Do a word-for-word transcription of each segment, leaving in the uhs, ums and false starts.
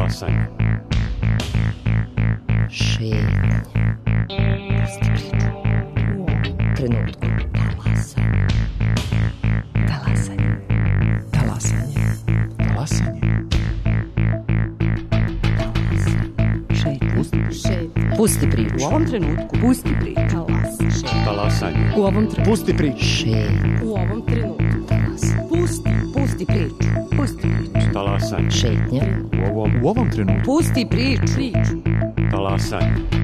Talasanje. Šetnja. Pusti priču. U ovom trenutku. Talasanje. Talasanje. Talasanje. Šetnja. Pusti priču. U ovom trenutku. Pusti priču. Talasanje. U ovom trenutku. Pusti priču. Šetnja. U ovom trenutku. Pusti. Pusti priču. Pusti priču. Talasanje. Šetnja. U ovom, U ovom trenutku. Pusti priču. Priču. talasanje.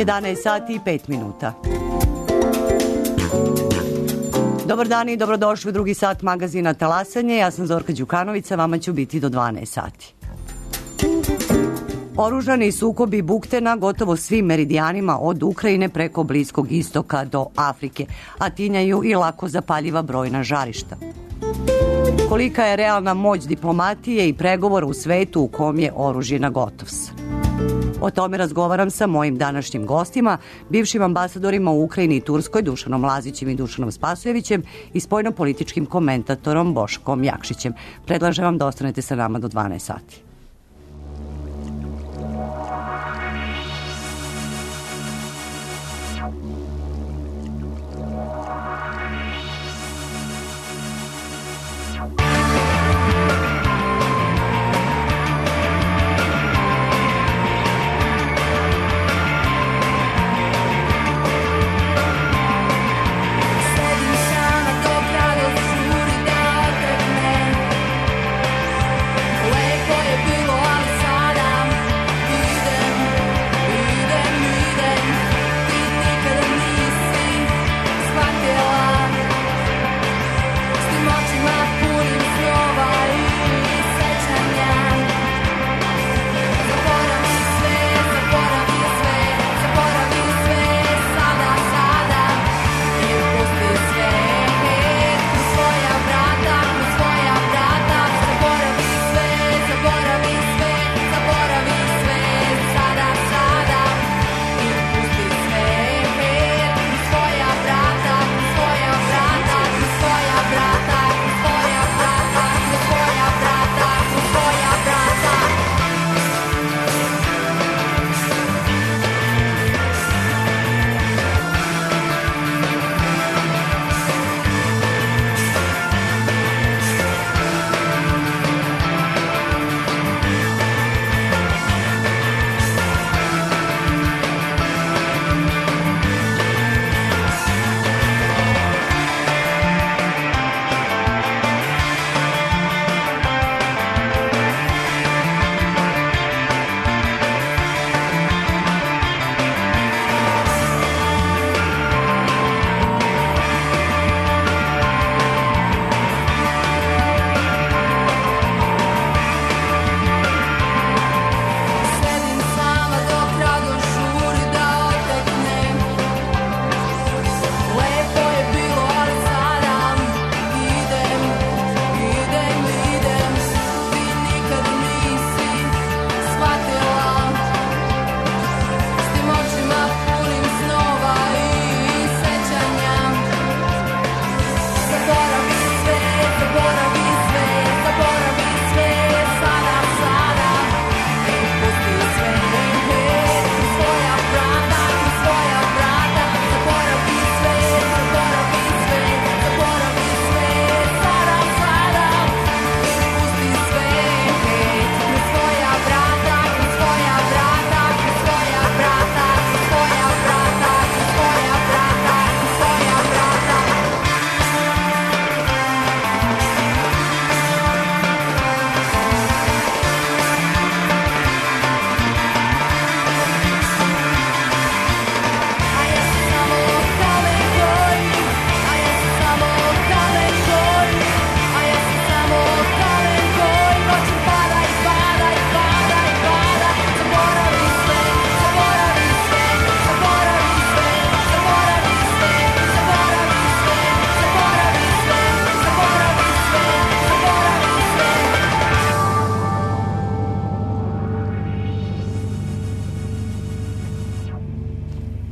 jedanaest sati i pet minuta. Dobar dan i dobrodošli u drugi sat magazina Talasanje. Ja sam Zorka Đukanović, a vama ću biti do dvanaest sati. Oružani sukobi bukte na gotovo svim meridijanima od Ukrajine preko Bliskog istoka do Afrike, a tinjaju i lako zapaljiva brojna žarišta. Kolika je realna moć diplomatije i pregovora u svetu u kom je oružje na gotovs? O tome razgovaram sa mojim današnjim gostima, bivšim ambasadorima u Ukrajini i Turskoj, Dušanom Lazićem i Dušanom Spasojevićem i spoljnopolitičkim komentatorom Boškom Jakšićem. Predlažem vam da ostanete sa nama do dvanaest sati. Idem, idem, ti nikada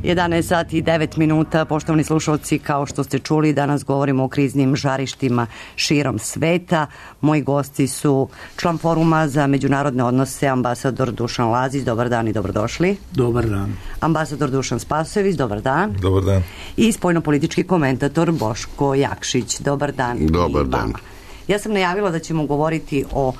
jedanaest sati i devet minuta, poštovani slušalci, kao što ste čuli, danas govorimo o kriznim žarištima širom sveta. Moji gosti su član Foruma za međunarodne odnose, ambasador Dušan Lazić, dobar dan i dobrodošli. Dobar dan. Ambasador Dušan Spasojević, dobar dan. Dobar dan. I spoljnopolitički komentator Boško Jakšić, dobar dan. Dobar dan. Ja sam najavila da ćemo govoriti o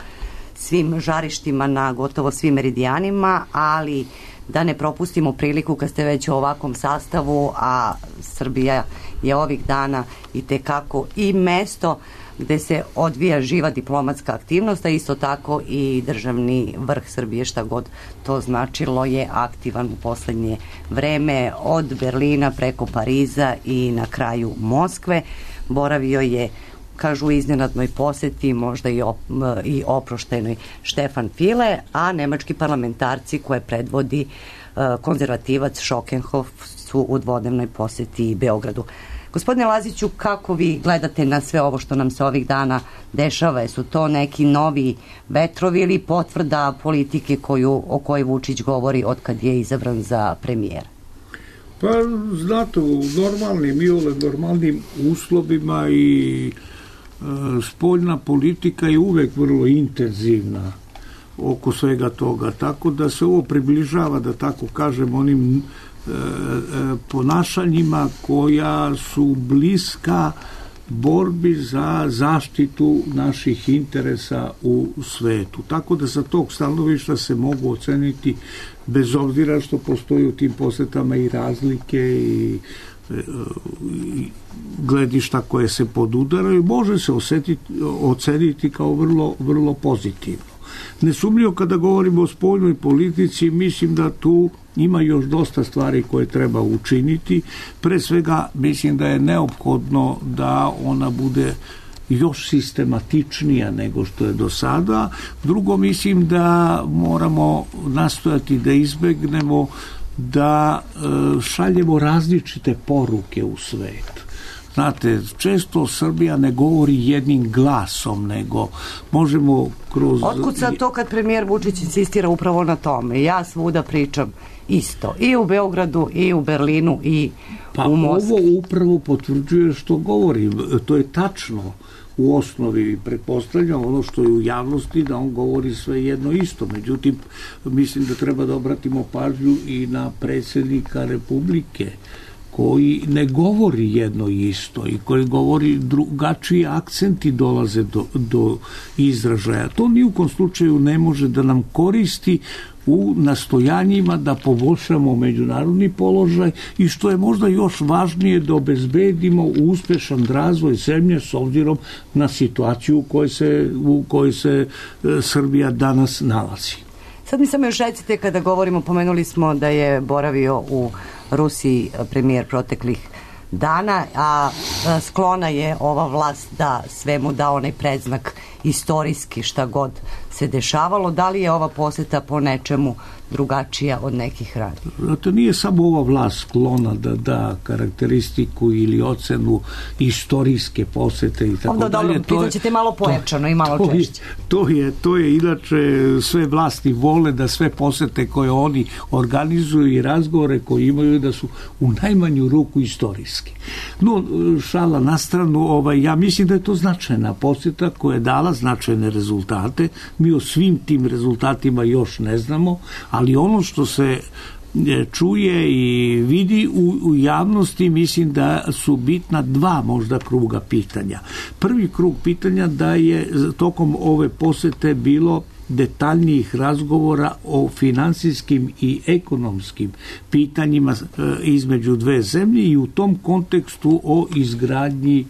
svim žarištima na gotovo svim meridijanima, ali da ne propustimo priliku kad ste već u ovakvom sastavu, a Srbija je ovih dana i tekako i mesto gde se odvija živa diplomatska aktivnost, a isto tako i državni vrh Srbije, šta god to značilo, je aktivan u poslednje vreme, od Berlina preko Pariza i na kraju Moskve. Boravio je, kažu, u iznenadnoj poseti, možda i, op, i oproštenoj, Štefan File, a nemački parlamentarci koje predvodi uh, konzervativac Šokenhof su u dvodnevnoj poseti Beogradu. Gospodine Laziću, kako vi gledate na sve ovo što nam se ovih dana dešava? Su to neki novi vetrovi ili potvrda politike koju, o kojoj Vučić govori od kad je izabran za premijera? Pa, znate, u normalnim i ole normalnim uslovima i spoljna politika je uvek vrlo intenzivna oko svega toga, tako da se ovo približava, da tako kažem, onim e, e, ponašanjima koja su bliska borbi za zaštitu naših interesa u svetu. Tako da sa tog stanovišta se mogu oceniti, bez obzira što postoji u tim posetama i razlike i gledišta koje se podudaraju, može se osetiti, oceniti kao vrlo, vrlo pozitivno. Nesumnjivo, kada govorimo o spoljnoj politici, mislim da tu ima još dosta stvari koje treba učiniti. Pre svega, mislim da je neophodno da ona bude još sistematičnija nego što je do sada. Drugo, mislim da moramo nastojati da izbegnemo da e, šaljemo različite poruke u svet. Znate, često Srbija ne govori jednim glasom, nego možemo kroz... Otkud sad to kad premijer Vučić insistira upravo na tome? Ja svuda pričam isto. I u Beogradu, i u Berlinu, i pa u Moskvi. Ovo upravo potvrđuje što govorim. To je tačno. U osnovi pretpostavljam ono što je u javnosti, da on govori sve jedno isto. Međutim, mislim da treba da obratimo pažnju i na predsjednika Republike, koji ne govori jedno isto i koji govori drugačiji akcenti dolaze do, do izražaja. To ni u kom slučaju ne može da nam koristi u nastojanjima da poboljšamo međunarodni položaj i, što je možda još važnije, da obezbedimo uspešan razvoj zemlje s obzirom na situaciju u kojoj se, u kojoj se Srbija danas nalazi. Sad mi samo još recite, kada govorimo, pomenuli smo da je boravio u Rusiji premijer proteklih dana, a sklona je ova vlast da svemu da onaj predznak istorijski, šta god se dešavalo. Da li je ova poseta po nečemu drugačija od nekih ranije? Zato nije samo ova vlast sklona da da karakteristiku ili ocenu istorijske posete i tako dalje. Dobro, pitat ćete malo pojačano i malo to češće. Je, to, je, to je inače, sve vlasti vole da sve posete koje oni organizuju i razgovore koje imaju da su u najmanju ruku istorijski. No, šala na stranu, ovaj, ja mislim da je to značajna poseta koja je dala značajne rezultate. Mi o svim tim rezultatima još ne znamo, ali ono što se čuje i vidi u, u javnosti, mislim da su bitna dva možda kruga pitanja. Prvi krug pitanja da je tokom ove posete bilo detaljnijih razgovora o finansijskim i ekonomskim pitanjima između dve zemlje i u tom kontekstu o izgradnji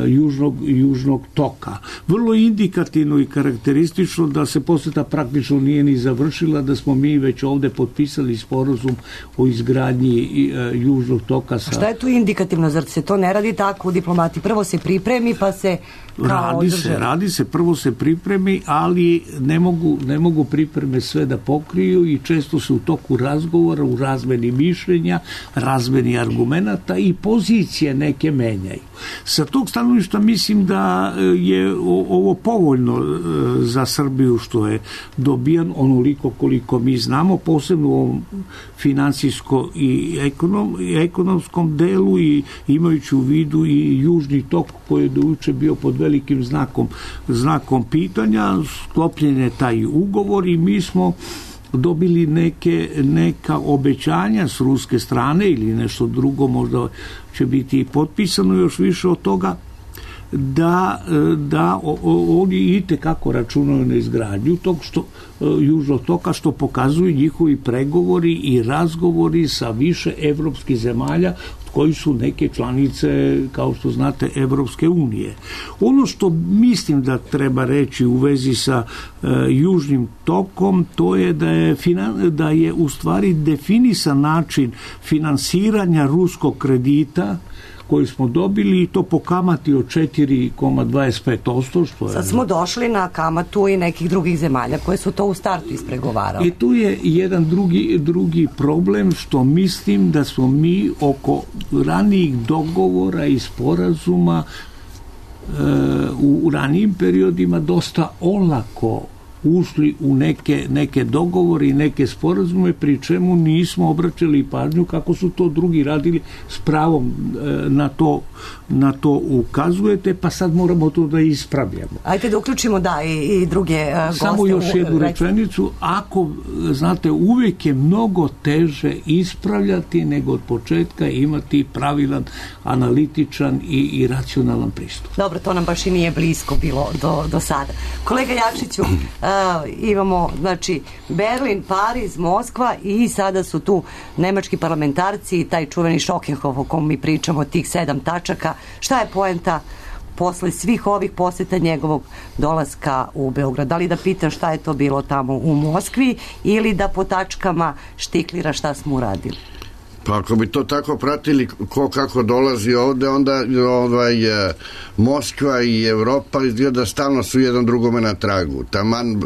Južnog, južnog toka. Vrlo indikativno i karakteristično da se poseta praktično nije ni završila, da smo mi već ovde potpisali sporazum o izgradnji Južnog toka. Sa... A šta je tu indikativno? Zar se to ne radi tako u diplomati? Prvo se pripremi pa se Radi se, radi se, prvo se pripremi, ali ne mogu, ne mogu pripreme sve da pokriju i često se u toku razgovora, u razmeni mišljenja, razmeni argumenata i pozicije neke menjaju. Sa tog stanovišta mislim da je ovo povoljno za Srbiju što je dobijan onoliko koliko mi znamo, posebno u ovom finansijsko i ekonom, ekonomskom delu i imajući u vidu i južni tok koji je dojuče bio pod velikim znakom, znakom pitanja, sklopljen je taj ugovor i mi smo dobili neke, neka obećanja s ruske strane ili nešto drugo, možda će biti potpisano još više od toga, da, da o, o, oni itekako računaju na izgradnju tog što, južnog toka, što pokazuju njihovi pregovori i razgovori sa više evropskih zemalja koji su neke članice, kao što znate, Evropske unije. Ono što mislim da treba reći u vezi sa e, južnim tokom, to je da je, finan, da je u stvari definisan način finansiranja ruskog kredita koji smo dobili i to po kamati od četiri zarez dvadeset pet posto. Što je... Sad smo došli na kamatu i nekih drugih zemalja koje su to u startu ispregovarali. I tu je jedan drugi, drugi problem što mislim da smo mi oko ranijih dogovora i sporazuma e, u, u ranijim periodima dosta olako ušli u neke, neke dogovore i neke sporazume, pri čemu nismo obraćali pažnju kako su to drugi radili, s pravom na to, na to ukazujete, pa sad moramo to da ispravljamo. Ajde da uključimo da i, i druge uh, goste. Samo još jednu rečenicu, ako, znate, uvijek je mnogo teže ispravljati nego od početka imati pravilan, analitičan i, i racionalan pristup. Dobro, to nam baš i nije blisko bilo do, do sada. Kolega Jakšiću, Uh, imamo, znači, Berlin, Pariz, Moskva i sada su tu nemački parlamentarci i taj čuveni Šokenhof o kom mi pričamo, tih sedam tačaka. Šta je poenta posle svih ovih poseta njegovog dolaska u Beograd? Da li da pitam šta je to bilo tamo u Moskvi ili da po tačkama štiklira šta smo uradili? Pa ako bi to tako pratili ko kako dolazi ovde, onda ovaj, Moskva i Evropa izgleda stalno su jedan drugome na tragu. Taman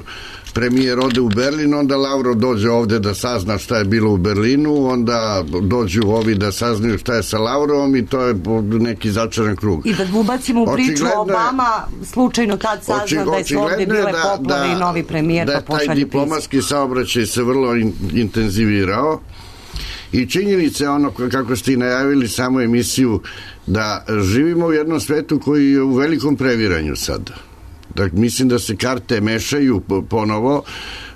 premijer ode u Berlin, onda Lavrov dođe ovde da sazna šta je bilo u Berlinu, onda dođu ovi da saznaju šta je sa Lavrovom i to je neki začaran krug. I da ubacimo u priču Obama, slučajno tad sazna da je su ovde bile da, poplave da, i novi premijer da pa pošalje taj diplomatski saobraćaj se vrlo in, intenzivirao. I činjenica je ono, kako ste i najavili samu emisiju, da živimo u jednom svetu koji je u velikom previranju sada. Dakle, mislim da se karte mešaju ponovo.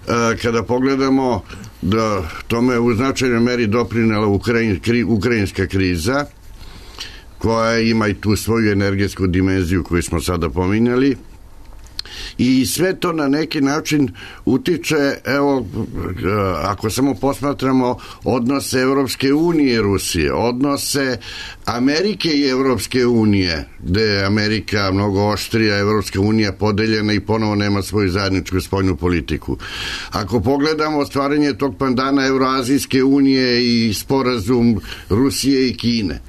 E, kada pogledamo da tome je u značajnoj meri doprinela Ukrajin, kri, ukrajinska kriza, koja ima i tu svoju energetsku dimenziju koju smo sada pominjali. I sve to na neki način utiče, evo, ako samo posmatramo odnose Evropske unije i Rusije, odnose Amerike i Evropske unije, gde je Amerika mnogo oštrija, Evropska unija podeljena i ponovo nema svoju zajedničku spoljnu politiku. Ako pogledamo ostvarenje tog pandana Evroazijske unije i sporazum Rusije i Kine,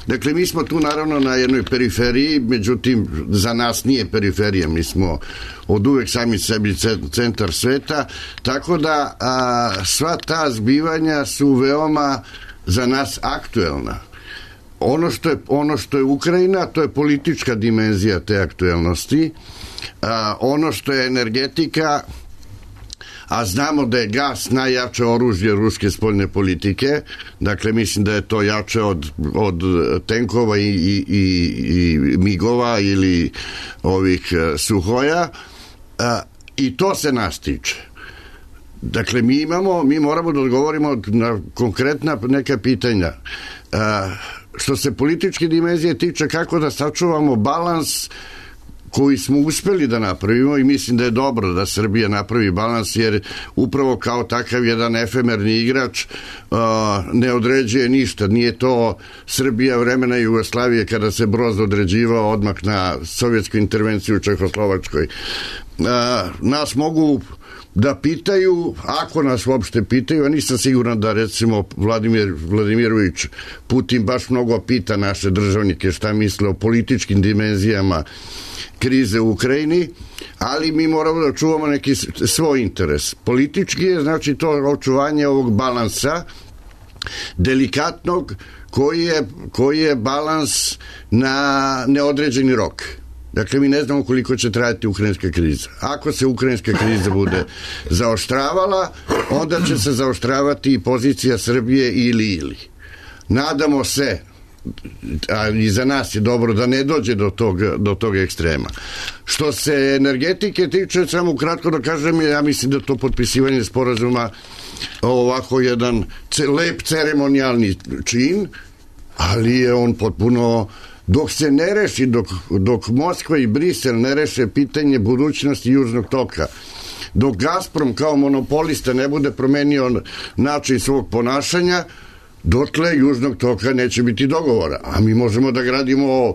dakle, mi smo tu naravno na jednoj periferiji, međutim, za nas nije periferija, mi smo od uvek sami sebi centar sveta, tako da a, sva ta zbivanja su veoma za nas aktuelna. Ono što je, ono što je Ukrajina, to je politička dimenzija te aktuelnosti, a, ono što je energetika, a znamo da je gas najjače oružje ruske spoljne politike, dakle mislim da je to jače od, od tenkova i, i, i, i migova ili ovih suhoja, a, i to se nas tiče. Dakle, mi imamo, mi moramo da odgovorimo na konkretna neka pitanja. A, što se političke dimenzije tiče, kako da sačuvamo balans koji smo uspeli da napravimo i mislim da je dobro da Srbija napravi balans, jer upravo kao takav jedan efemerni igrač uh, ne određuje ništa. Nije to Srbija vremena Jugoslavije kada se Broz određivao odmah na sovjetsku intervenciju u Čehoslovačkoj. Uh, nas mogu da pitaju, ako nas uopšte pitaju, a nisam siguran da recimo Vladimir Vladimirović Putin baš mnogo pita naše državnike šta misle o političkim dimenzijama krize u Ukrajini, ali mi moramo da čuvamo neki svoj interes. Politički je, znači, to očuvanje ovog balansa, delikatnog, koji je, koji je balans na neodređeni rok. Dakle, mi ne znamo koliko će trajati ukrajinska kriza. Ako se ukrajinska kriza bude zaoštravala, onda će se zaoštravati i pozicija Srbije ili ili. Nadamo se, a i za nas je dobro da ne dođe do tog, do tog ekstrema. Što se energetike tiče, samo kratko da kažem, ja mislim da to potpisivanje sporazuma ovako jedan lep ceremonijalni čin, ali je on potpuno, dok se ne reši, dok, dok Moskva i Brisel ne reše pitanje budućnosti Južnog toka, dok Gazprom kao monopolista ne bude promenio način svog ponašanja, dotle Južnog toka neće biti dogovora. A mi možemo da gradimo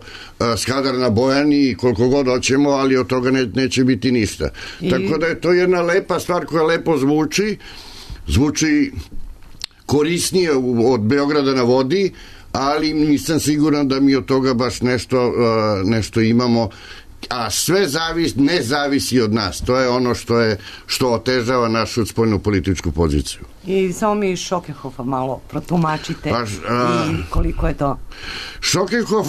Skadar na Bojani koliko god hoćemo, ali od toga ne, neće biti ništa. I... Tako da je to jedna lepa stvar koja lepo zvuči, zvuči korisnije od Beograda na vodi, ali nisam siguran da mi od toga baš nešto, nešto imamo, a sve zavis, ne zavisi od nas. To je ono što je što otežava našu spoljnu političku poziciju. I samo mi Šokehofa malo protumačite pa, a, i koliko je to Šokehof,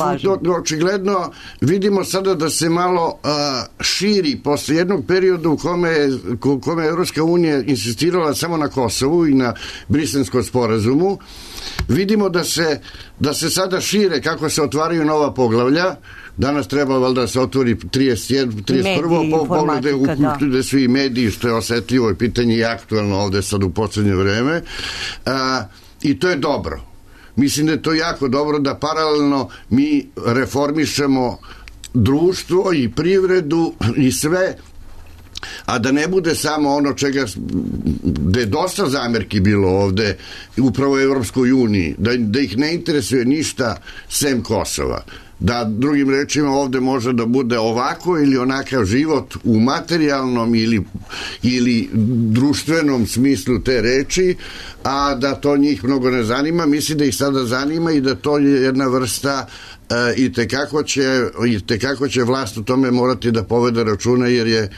očigledno vidimo sada da se malo a, širi posle jednog perioda u kome je, u kome je Evropska unija insistirala samo na Kosovu i na Briselskom sporazumu. Vidimo da se, da se sada šire kako se otvaraju nova poglavlja. Danas treba valjda da se otvori trideset prvo poglavlje, uključuju svi mediji, što je osetljivo i pitanje i aktualno ovde sad u poslednje vreme. A, I to je dobro. Mislim da je to jako dobro da paralelno mi reformišemo društvo i privredu i sve, a da ne bude samo ono čega da je dosta zamerki bilo ovde upravo u Evropskoj uniji, da, da ih ne interesuje ništa sem Kosova, da drugim rečima ovde može da bude ovako ili onakav život u materijalnom ili, ili društvenom smislu te reči, a da to njih mnogo ne zanima. Mislim da ih sada zanima i da to je jedna vrsta e, i tekako će, i tekako će vlast u tome morati da povede računa, jer je e,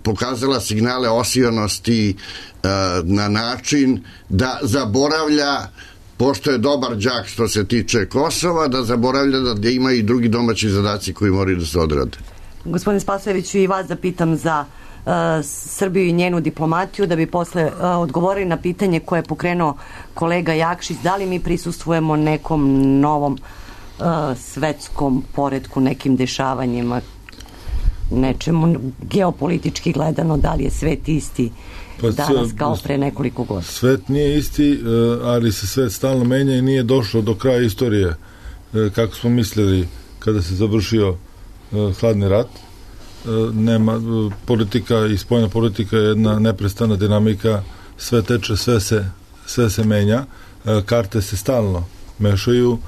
pokazala signale osijonosti e, na način da zaboravlja, pošto je dobar đak što se tiče Kosova, da zaboravlja da ima i drugi domaći zadaci koji moraju da se odrade. Gospodine Spasojeviću, i vas da pitam za uh, Srbiju i njenu diplomatiju, da bi posle uh, odgovorili na pitanje koje je pokrenuo kolega Jakšić, da li mi prisustvujemo nekom novom uh, svetskom poretku, nekim dešavanjima, nečemu geopolitički gledano, da li je svet isti pa danas kao pre nekoliko godina? Svet nije isti, ali se svet stalno menja i nije došlo do kraja istorije kako smo mislili kada se završio hladni rat. Nema, politika i spoljna politika je jedna neprestana dinamika, sve teče, sve se, sve se menja, karte se stalno mešaju.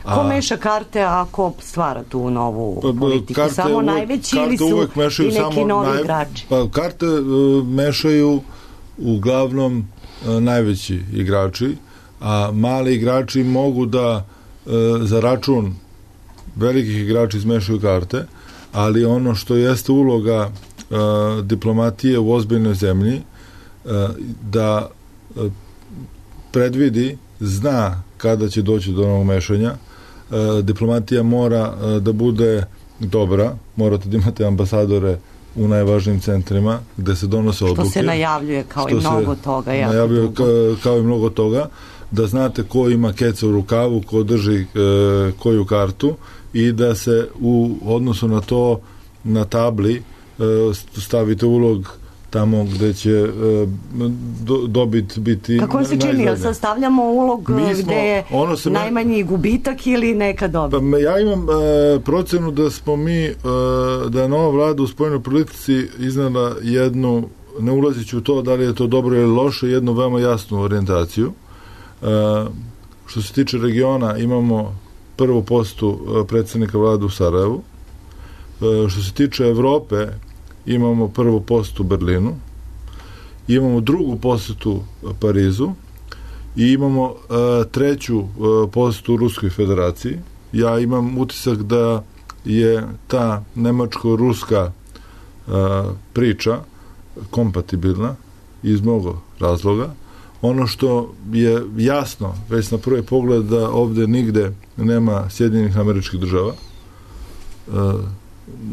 A, ko meša karte, a ko stvara tu novu politiku? Karte samo uvek, najveći ili su i neki novi naj, igrači? Pa karte uh, mešaju uglavnom uh, najveći igrači, a mali igrači mogu da uh, za račun velikih igrača izmešaju karte, ali ono što jeste uloga uh, diplomatije u ozbiljnoj zemlji, uh, da uh, predvidi, zna kada će doći do novog mešanja. Diplomatija mora da bude dobra, morate da imate ambasadore u najvažnijim centrima gde se donose odluke. Što se najavljuje kao i mnogo toga. Najavljuje kao, kao i mnogo toga, da znate ko ima keca u rukavu, ko drži e, koju kartu i da se u odnosu na to na tabli e, stavite ulog tamo gde će e, do, dobit biti kako vam se čini, jel sastavljamo ulog smo, gde je najmanji me, gubitak ili neka dobit? Pa ja imam e, procenu da smo mi e, da je nova vlada u spoljnoj politici iznala jednu, ne ulaziću u to da li je to dobro ili loše, jednu veoma jasnu orijentaciju. E, što se tiče regiona, imamo prvu posetu predsednika vlade u Sarajevu. E, što se tiče Evrope, imamo prvu posetu Berlinu, imamo drugu posetu Parizu i imamo uh, treću uh, posetu Ruskoj federaciji. Ja imam utisak da je ta nemačko-ruska uh, priča kompatibilna iz mnogo razloga. Ono što je jasno, već na prvi pogled, da ovde nigde nema Sjedinjenih Američkih Država,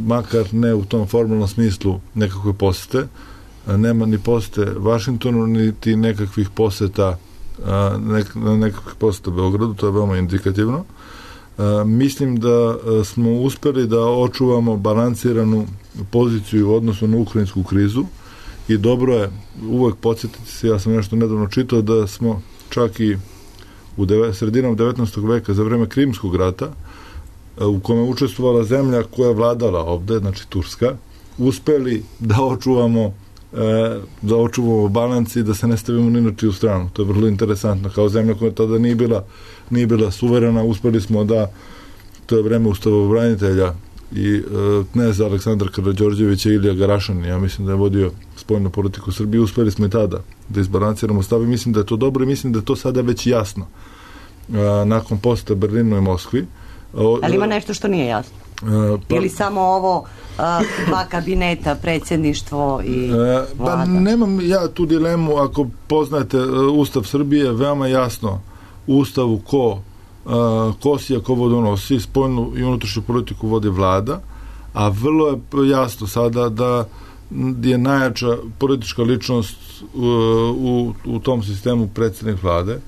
makar ne u tom formalnom smislu nekakve posete, nema ni posete Vašingtonu, niti nekakvih poseta nek, nekakvih poseta Beogradu, to je veoma indikativno. Mislim da smo uspeli da očuvamo balansiranu poziciju u odnosu na ukrajinsku krizu i dobro je uvek podsjetiti se, ja sam nešto nedavno čitao, da smo čak i u deve, sredinom devetnaestog veka, za vreme Krimskog rata, u kome je učestvovala zemlja koja je vladala ovde, znači Turska, uspeli da očuvamo da očuvamo balans i da se ne stavimo ni na čiju stranu. To je vrlo interesantno. Kao zemlja koja tada nije bila, nije bila suverena, uspeli smo da, to je vreme ustavobranitelja i e, kneza Aleksandra Karađorđevića i Ilija Garašan, ja mislim da je vodio spoljnu politiku Srbije, uspeli smo i tada da izbalansiramo stav i mislim da je to dobro i mislim da je to sada već jasno. E, nakon poseta Berlinu i Moskvi. O, Ali ima nešto što nije jasno? Uh, pa, ili samo ovo uh, dva kabineta, predsjedništvo i uh, vlada? Pa nemam ja tu dilemu, ako poznajete uh, Ustav Srbije, veoma jasno u Ustavu ko uh, ko si, a ko vodonosi, spoljnu i unutrašnju politiku vodi vlada, a vrlo je jasno sada da je najjača politička ličnost uh, u, u tom sistemu predsjednik vlade,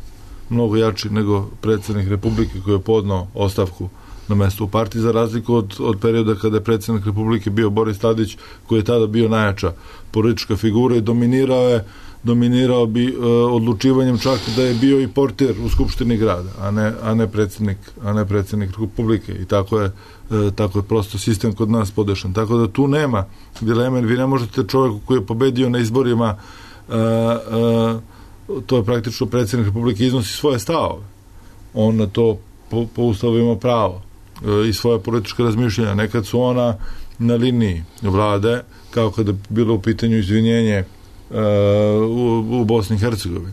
mnogo jači nego predsjednik Republike koji je podnao ostavku na mesto u partiji, za razliku od, od perioda kada je predsjednik Republike bio Boris Tadić, koji je tada bio najjača politička figura i dominirao je dominirao bi e, odlučivanjem, čak da je bio i portir u Skupštini grada, a ne, a ne predsjednik a ne predsjednik Republike i tako je, e, tako je prosto sistem kod nas podešan. Tako da tu nema dileme, vi ne možete čovjeku koji je pobedio na izborima, e, e, to je praktično predsjednik Republike, iznosi svoje stavove. On na to po, po ustavu ima pravo i svoje političke razmišljanja. Nekad su ona na liniji vlade, kao kada je bilo u pitanju izvinjenje uh, u, u Bosni i Hercegovini.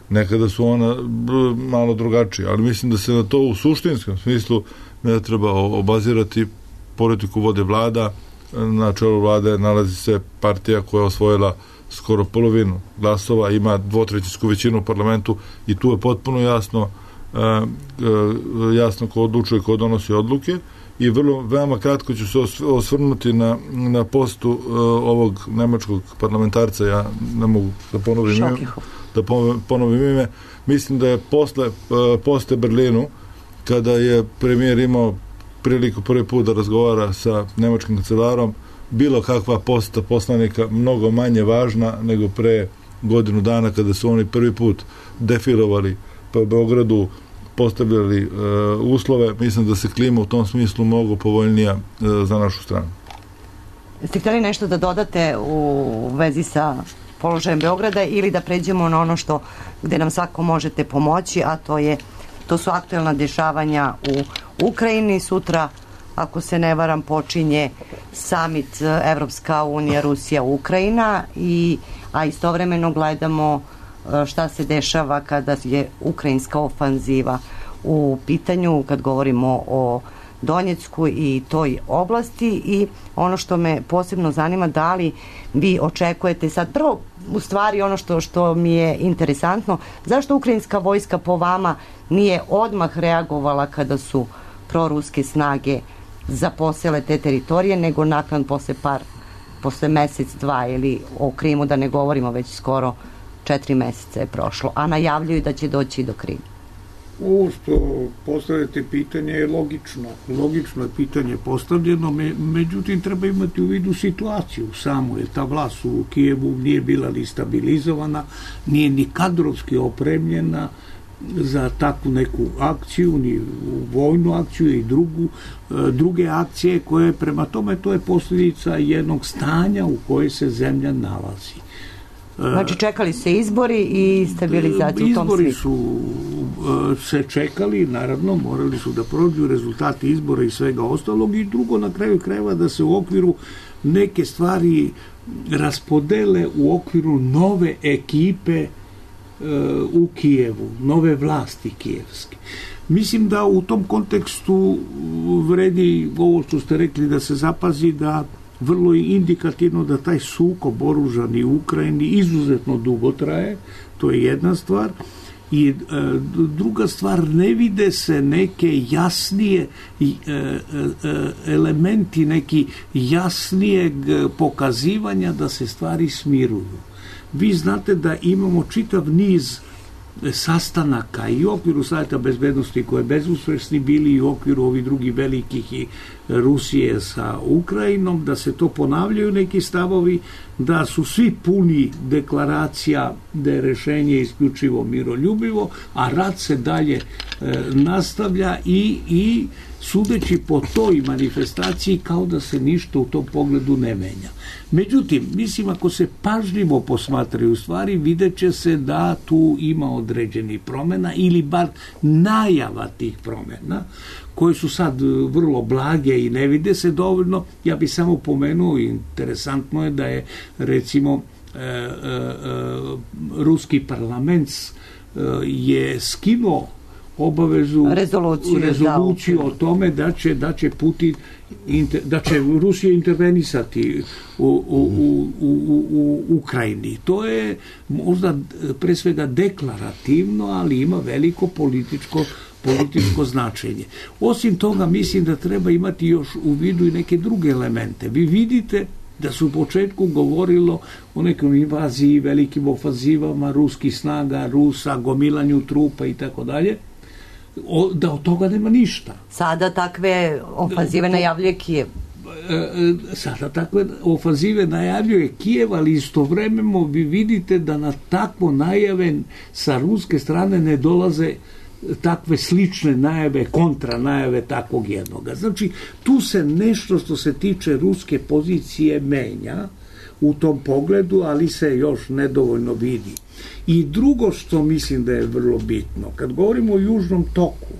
Nekada su ona malo drugačije, ali mislim da se na to u suštinskom smislu ne treba obazirati. Politiku vode vlada, na čelu vlade nalazi se partija koja je osvojila skoro polovinu glasova, ima dvotrećinsku većinu u parlamentu i tu je potpuno jasno Uh, uh, jasno ko odlučuje, ko donosi odluke i vrlo, veoma kratko ću se osvrnuti na, na postu uh, ovog nemačkog parlamentarca, ja ne mogu da ponovim ime, da ponovim ime, mislim da je posle uh, poste Berlinu, kada je premijer imao priliku prvi put da razgovara sa nemačkim kancelarom, bilo kakva posta poslanika mnogo manje važna nego pre godinu dana kada su oni prvi put defilovali pa u Beogradu, postavljali e, uslove. Mislim da se klima u tom smislu mnogo povoljnija e, za našu stranu. Ste htjeli nešto da dodate u vezi sa položajem Beograda ili da pređemo na ono što gde nam svako možete pomoći, a to je to su aktuelna dešavanja u Ukrajini. Sutra, ako se ne varam, počinje summit Evropska unija, Rusija, Ukrajina, i, a istovremeno gledamo šta se dešava kada je ukrajinska ofanziva u pitanju, kad govorimo o Donjecku i toj oblasti. I ono što me posebno zanima, da li vi očekujete sad, prvo u stvari ono što, što mi je interesantno, zašto ukrajinska vojska po vama nije odmah reagovala kada su proruske snage zaposele te teritorije, nego nakon posle par, posle mesec, dva, ili o Krimu da ne govorimo, već skoro četiri meseca je prošlo, a najavljuju da će doći do Krima. Ovo što postavljate pitanje je logično. Logično je pitanje postavljeno, me, međutim treba imati u vidu situaciju samo, jer ta vlast u Kijevu nije bila ni stabilizovana, nije ni kadrovski opremljena za takvu neku akciju, ni vojnu akciju i drugu, druge akcije koje, prema tome, to je posljedica jednog stanja u kojoj se zemlja nalazi. Znači čekali se izbori i stabilizaciju u tom svijetu. Izbori su se čekali, naravno morali su da prođu rezultati izbora i svega ostalog, i drugo, na kraju krajeva, da se u okviru neke stvari raspodele u okviru nove ekipe u Kijevu, nove vlasti kijevske. Mislim da u tom kontekstu vredi ovo što ste rekli, da se zapazi da vrlo indikativno da taj sukob oružani u Ukrajini izuzetno dugo traje, to je jedna stvar. I e, druga stvar, ne vide se neke jasnije e, e, elementi, neki jasnijeg pokazivanja da se stvari smiruju. Vi znate da imamo čitav niz sastanaka i u okviru Savjeta bezbednosti koje bezuspešni bili i u okviru ovih drugih velikih i Rusije sa Ukrajinom, da se to ponavljaju neki stavovi, da su svi puni deklaracija da je rešenje isključivo miroljubivo, a rat se dalje e, nastavlja i, i sudeći po toj manifestaciji kao da se ništa u tom pogledu ne menja. Međutim, mislim, ako se pažljivo posmatraju stvari, vidjet će se da tu ima određenih promjena ili bar najava tih promjena, koje su sad vrlo blage i ne vide se dovoljno. Ja bih samo pomenuo, interesantno je da je recimo e, e, e, ruski parlament e, je skinuo obavezu rezoluciju, rezoluciju da, o tome da će, da će Putin inter, da će Rusija intervenisati u, u, u, u, u Ukrajini. To je možda pre svega deklarativno, ali ima veliko političko političko značenje. Osim toga, mislim da treba imati još u vidu i neke druge elemente. Vi vidite da su u početku govorilo o nekom invaziji, velikim ofanzivama ruskih snaga, Rusa, gomilanju trupa i tako dalje, da od toga nema ništa. Sada takve ofanzive najavljuje Kijev. Sada takve ofanzive najavljuje Kijev, ali istovremeno vi vidite da na takvo najave sa ruske strane ne dolaze takve slične najave, kontra najave takvog jednoga. Znači, tu se nešto što se tiče ruske pozicije menja u tom pogledu, ali se još nedovoljno vidi. I drugo što mislim da je vrlo bitno, kad govorimo o Južnom toku,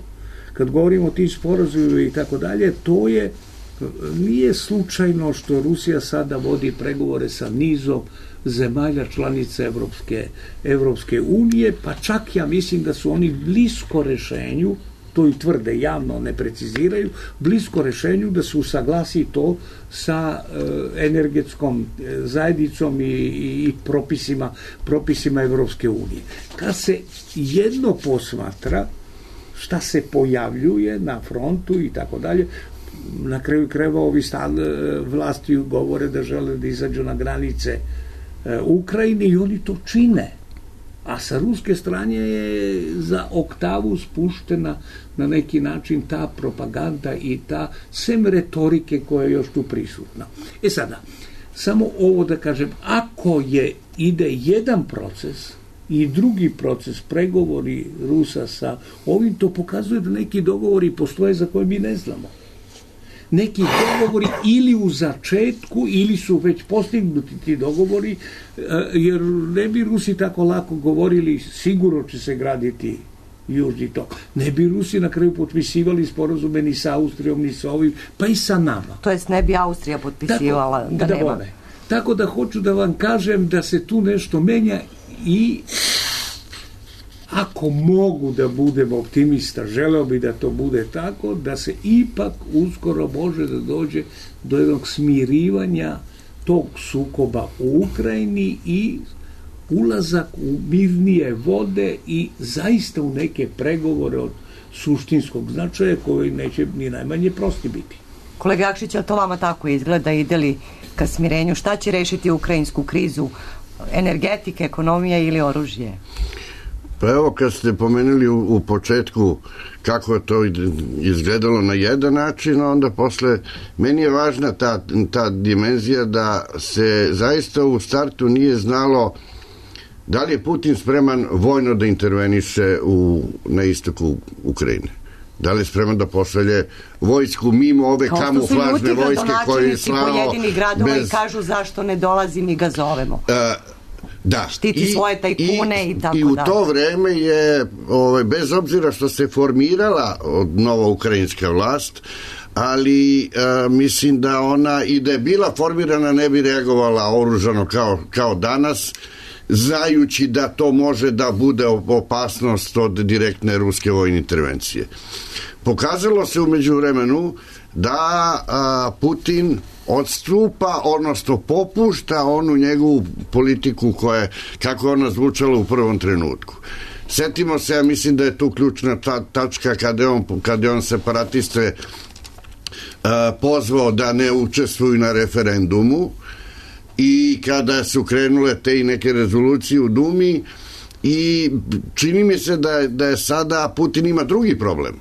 kad govorimo o tim sporazumima i tako dalje, to je, nije slučajno što Rusija sada vodi pregovore sa nizom zemalja članica Evropske, Evropske unije, pa čak ja mislim da su oni blisko rešenju, to i tvrde, javno ne preciziraju, blisko rešenju da se usaglasi to sa e, energetskom zajednicom i, i, i propisima, propisima Evropske unije. Kad se jedno posmatra šta se pojavljuje na frontu i tako dalje, na kraju krajeva ovi stan, vlasti govore da žele da izađu na granice Ukrajine i oni to čine. A sa ruske strane je za oktavu spuštena na neki način ta propaganda i ta sem retorike koja je još tu prisutna. E sada, samo ovo da kažem, ako je ide jedan proces i drugi proces, pregovori Rusa sa ovim, to pokazuje da neki dogovori postoje za koje mi ne znamo. Neki dogovori ili u začetku ili su već postignuti ti dogovori, jer ne bi Rusi tako lako govorili sigurno će se graditi Južni tok. Ne bi Rusi na kraju potpisivali sporazume ni sa Austrijom, ni sa ovim, pa i sa nama. To jest ne bi Austrija potpisivala tako, da, da nema. Bome. Tako da hoću da vam kažem da se tu nešto menja i ako mogu da budem optimista, želeo bi da to bude tako, da se ipak uskoro može da dođe do jednog smirivanja tog sukoba u Ukrajini i ulazak u mirnije vode i zaista u neke pregovore od suštinskog značaja koji neće ni najmanje prosti biti. Kolega Jakšić, ali to vama tako izgleda, ide li ka smirenju? Šta će rešiti ukrajinsku krizu? Energetika, ekonomija ili oružje? Pa evo, kad ste pomenuli u, u početku kako je to izgledalo na jedan način, onda posle, meni je važna ta, ta dimenzija da se zaista u startu nije znalo da li je Putin spreman vojno da interveniše u, na istoku Ukrajine. Da li je spreman da pošalje vojsku mimo ove kamuflažne vojske koje je slao pojedini gradova bez... i kažu zašto ne dolazi, mi ga zovemo. Uh, Da. Štiti I, svoje tajkune i, i tako dalje. I u to vreme je, ovaj, bez obzira što se formirala nova ukrajinska vlast, ali a, mislim da ona i da je bila formirana ne bi reagovala oružano kao, kao danas, znajući da to može da bude opasnost od direktne ruske vojne intervencije. Pokazalo se u međuvremenu da a, Putin odstupa, odnosno popušta onu njegovu politiku koja, kako je ona zvučala u prvom trenutku. Setimo se, ja mislim da je tu ključna ta, tačka kada je on, kada je on separatiste a, pozvao da ne učestvuju na referendumu i kada su krenule te i neke rezolucije u Dumi i čini mi se da, da je sada Putin ima drugi problem.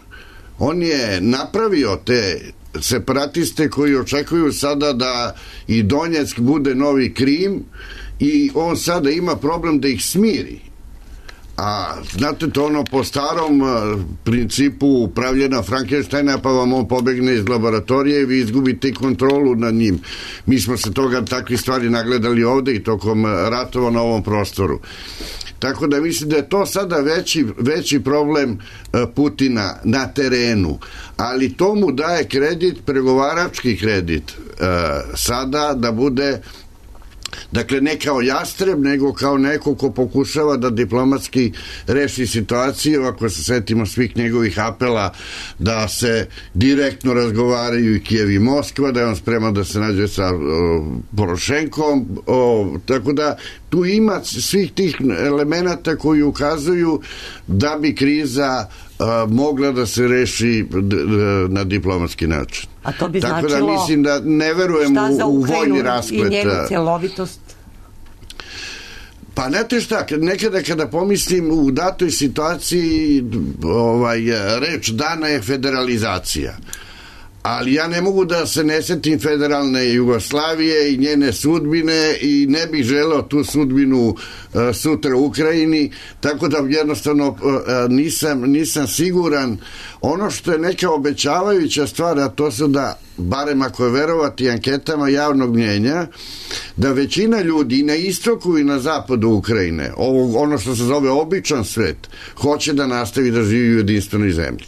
On je napravio te separatiste koji očekuju sada da i Donjeck bude novi Krim i on sada ima problem da ih smiri. A znate, to ono po starom principu upravljena Frankensteina, pa vam on pobegne iz laboratorije i vi izgubite kontrolu nad njim. Mi smo se toga takvi stvari nagledali ovde i tokom ratova na ovom prostoru. Tako da mislim da je to sada veći, veći problem Putina na terenu, ali to mu daje kredit, pregovarački kredit sada da bude, dakle ne kao jastreb, nego kao neko ko pokušava da diplomatski reši situaciju. Ako se setimo svih njegovih apela da se direktno razgovaraju i Kijev i Moskva, da je on spreman da se nađe sa o, Porošenkom, o, tako da tu ima svih tih elemenata koji ukazuju da bi kriza a, mogla da se reši d, d, na diplomatski način. A to bi tako značilo da mislim da ne verujem u, u vojni rasplet. I njenu cjelovitost? Pa znate šta, nekada kada pomislim u datoj situaciji, ovaj, reč dana je federalizacija. Ali ja ne mogu da se ne setim federalne Jugoslavije i njene sudbine i ne bih želeo tu sudbinu uh, sutra u Ukrajini, tako da jednostavno uh, nisam, nisam siguran. Ono što je neka obećavajuća stvar, a to su da, barem ako je verovati anketama javnog mnjenja, da većina ljudi i na istoku i na zapadu Ukrajine, ovo, ono što se zove običan svet, hoće da nastavi da živi u jedinstvenoj zemlji.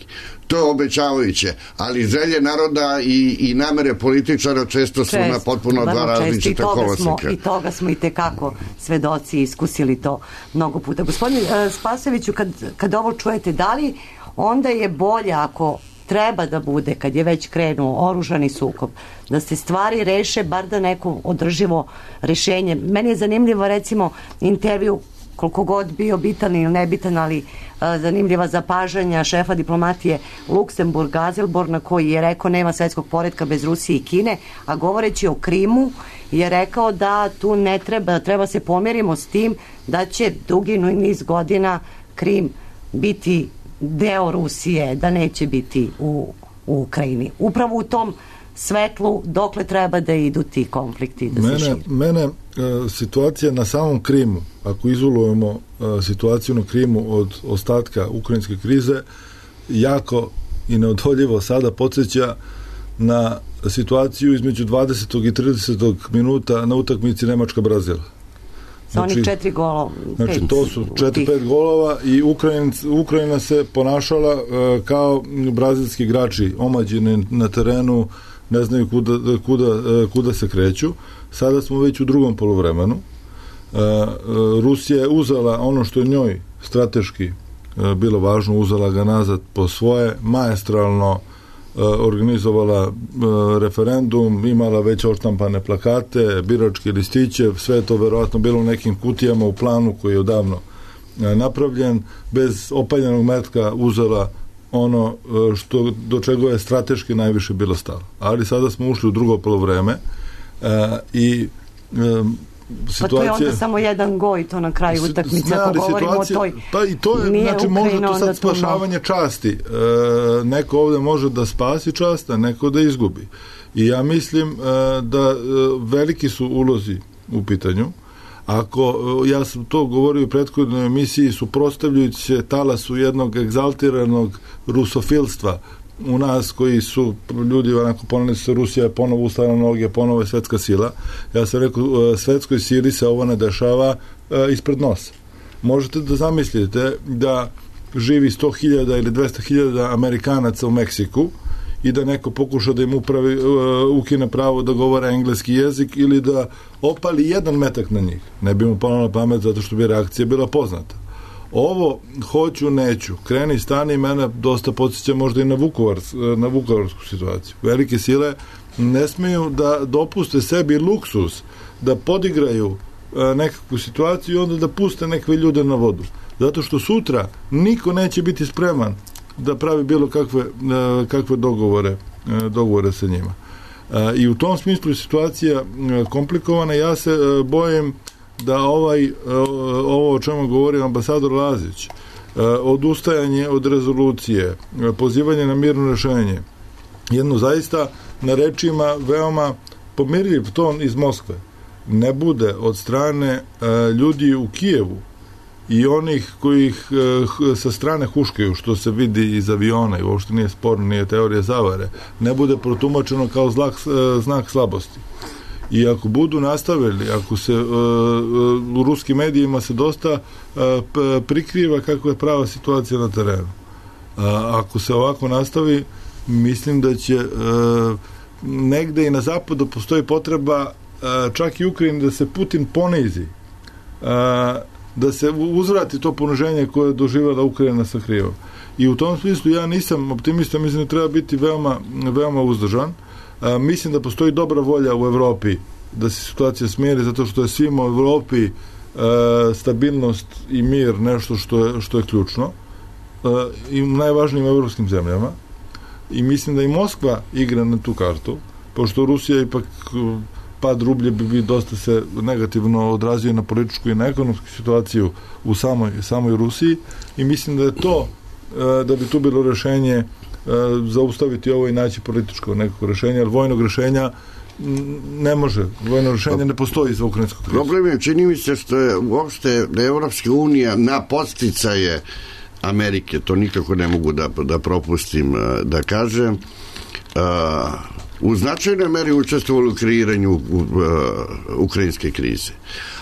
To je obećavajuće, ali želje naroda i, i namere političara često su čest, na potpuno dva različita koloseka. I toga smo i tekako svedoci, iskusili to mnogo puta. Gospodin uh, Spasojeviću, kad, kad ovo čujete, da li onda je bolje ako treba da bude, kad je već krenuo oružani sukob, da se stvari reše, bar da neko održivo rešenje. Meni je zanimljivo, recimo, intervju, koliko god bio bitan ili nebitan, ali a, zanimljiva zapažanja šefa diplomatije Luksemburga Azelborna, koji je rekao nema svetskog poretka bez Rusije i Kine, a govoreći o Krimu je rekao da tu ne treba, treba se pomjerimo s tim da će dugi niz godina Krim biti deo Rusije, da neće biti u, u Ukrajini. Upravo u tom svetlu dokle treba da idu ti konflikti, da mene, se širi. Mene e, situacija na samom Krimu, ako izolujemo e, situaciju na Krimu od ostatka ukrajinske krize, jako i neodoljivo sada podsjeća na situaciju između dvadesetog i tridesetog minuta na utakmici Nemačka-Brazil. Znači, onih četiri golova. Znači, to su četiri, pet golova i Ukrajina, Ukrajina se ponašala uh, kao brazilski igrači, omađeni na terenu, ne znaju kuda, kuda, uh, kuda se kreću. Sada smo već u drugom poluvremenu. Uh, uh, Rusija je uzela ono što je njoj strateški uh, bilo važno, uzela ga nazad po svoje, maestralno organizovala referendum, imala već odštampane plakate, biračke listiće, sve to verovatno bilo u nekim kutijama u planu koji je odavno napravljen, bez opaljenog metka uzela ono što, do čega je strateški najviše bilo stalo. Ali sada smo ušli u drugo polovreme i situacija... Pa to je onda samo jedan goj, to na kraju utakmice, ako govorimo o toj... Pa i to je, znači, može to sad spašavanje časti. E, neko ovde može da spasi čast, a neko da izgubi. I ja mislim e, da e, veliki su ulozi u pitanju. Ako, e, ja sam to govorio u prethodnoj emisiji, suprotstavljajući se talasu jednog egzaltiranog rusofilstva u nas koji su ljudi onako poneli se Rusija je ponovo ustala na noge, ponovo je svetska sila. Ja sam rekao, svetskoj sili se ovo ne dešava e, ispred nosa. Možete da zamislite da živi sto hiljada ili dvesta hiljada Amerikanaca u Meksiku i da neko pokuša da im upravi, uh, ukine pravo da govore engleski jezik ili da opali jedan metak na njih. Ne bi mu palo na pamet zato što bi reakcija bila poznata. Ovo hoću, neću, kreni, stani, mene dosta podsjeća možda i na, Vukovar, na vukovarsku situaciju. Velike sile ne smeju da dopuste sebi luksus da podigraju e, nekakvu situaciju i onda da puste neke ljude na vodu. Zato što sutra niko neće biti spreman da pravi bilo kakve, e, kakve dogovore, e, dogovore sa njima. E, I u tom smislu je situacija e, komplikovana. Ja se e, bojim da ovaj, ovo o čemu govori ambasador Lazić, odustajanje od rezolucije, pozivanje na mirno rešenje, jedno zaista na rečima veoma pomirljiv ton iz Moskve, ne bude od strane ljudi u Kijevu i onih koji ih sa strane huškaju, što se vidi iz aviona i uopšte nije sporno, nije teorija zavare, ne bude protumačeno kao znak, znak slabosti. I ako budu nastavili, ako se uh, u ruskim medijima se dosta uh, prikriva kako je prava situacija na terenu. Uh, ako se ovako nastavi, mislim da će uh, negde i na zapadu postoji potreba uh, čak i Ukrajini da se Putin ponizi, uh, da se uzvrati to poniženje koje je doživjela Ukrajina sa Krivom. I u tom smislu ja nisam optimista, mislim da treba biti veoma, veoma uzdržan. A, mislim da postoji dobra volja u Evropi da se situacija smiri, zato što je svima u Evropi a, stabilnost i mir nešto što je, što je ključno a, i u najvažnijim evropskim zemljama. I mislim da i Moskva igra na tu kartu, pošto Rusija ipak pad rublje bi, bi dosta se negativno odrazio na političku i na ekonomsku situaciju u samoj, samoj Rusiji i mislim da je to, a, da bi tu bilo rešenje zaustaviti ovo i naći političko nekako rešenje, jer vojnog rešenja ne može, vojno rešenje ne postoji za ukrajinskog krizu. Problem je, čini mi se što je uopšte da je Evropska unija na podsticaje Amerike, to nikako ne mogu da, da propustim da kažem, u značajnoj meri učestvovali u kreiranju ukrajinske krize.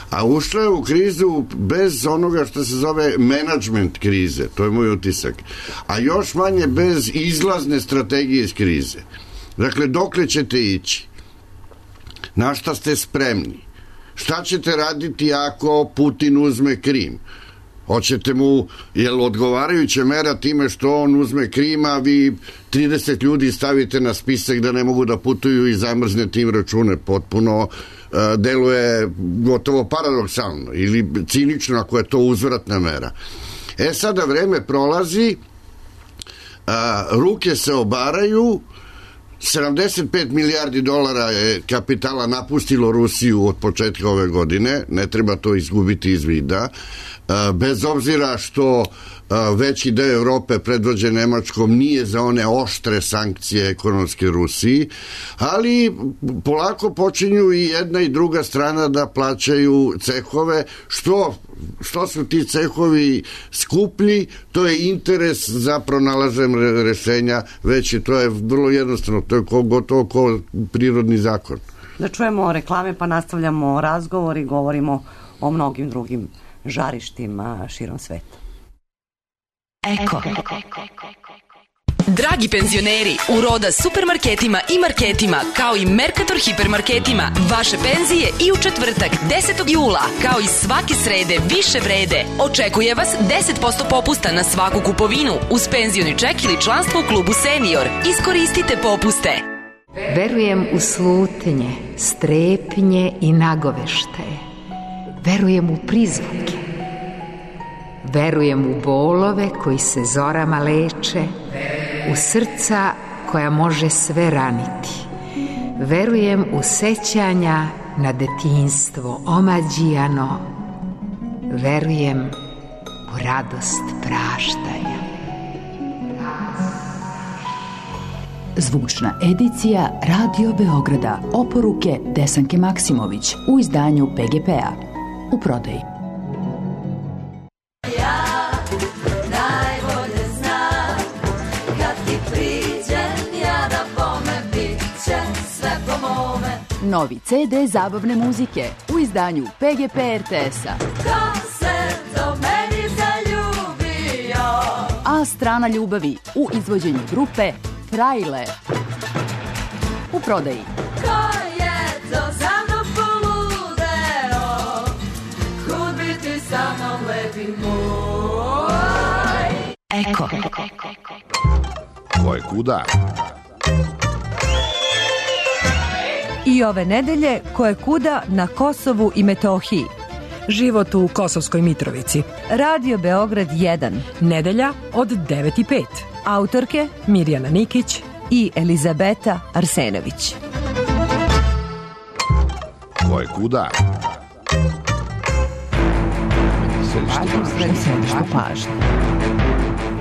A ušla je u krizu bez onoga što se zove menadžment krize, to je moj utisak, a još manje bez izlazne strategije iz krize. Dakle, dokle ćete ići? Na šta ste spremni? Šta ćete raditi ako Putin uzme Krim? Hoćete mu, jel odgovarajuća mera time što on uzme Krim, a vi trideset ljudi stavite na spisak da ne mogu da putuju i zamrznete im račune? Potpuno deluje gotovo paradoksalno ili cinično ako je to uzvratna mera. E sada vreme prolazi, a, ruke se obaraju, sedamdeset pet milijardi dolara je kapitala napustilo Rusiju od početka ove godine, ne treba to izgubiti iz vida, a, bez obzira što a, veći deo Evrope predvođen Nemačkom nije za one oštre sankcije ekonomske Rusiji, ali polako počinju i jedna i druga strana da plaćaju cehove, što što su ti cehovi skuplji, to je interes za pronalaženje rešenja veći, to je vrlo jednostavno, to je ko, gotovo ko prirodni zakon. Da čujemo reklame pa nastavljamo razgovor i govorimo o mnogim drugim žarištima širom sveta. Eko. Dragi penzioneri, u Roda supermarketima i marketima, kao i Mercator hipermarketima, vaše penzije i u četvrtak, desetog jula, kao i svake srede više vrede. Očekuje vas deset posto popusta na svaku kupovinu uz penzioni ček ili članstvo u klubu Senior. Iskoristite popuste. Verujem u slutnje, strepnje i nagoveštaje. Verujem u prizvuke. Verujem u bolove koji se zorama leče, u srca koja može sve raniti. Verujem u sećanja na detinjstvo omađijano. Verujem u radost praštanja. Zvučna edicija Radio Beograda, oporuke Desanke Maksimović u izdanju P G P-a. U prodaji. Novi C D zabavne muzike u izdanju P G P R T S-a. Ko se do meni zaljubio? A strana ljubavi u izvođenju grupe Frajle. u prodaji. Ko je to za mnom poludeo, kud biti sa mnom lepi moj. Eko. Ko je kuda? I ove nedelje koje kuda na Kosovu i Metohiji. Život u Kosovskoj Mitrovici. Radio Beograd jedan. Nedelja od devet i pet. Autorke Mirjana Nikić i Elizabeta Arsenović. Ko je kuda? Središtu pažnje.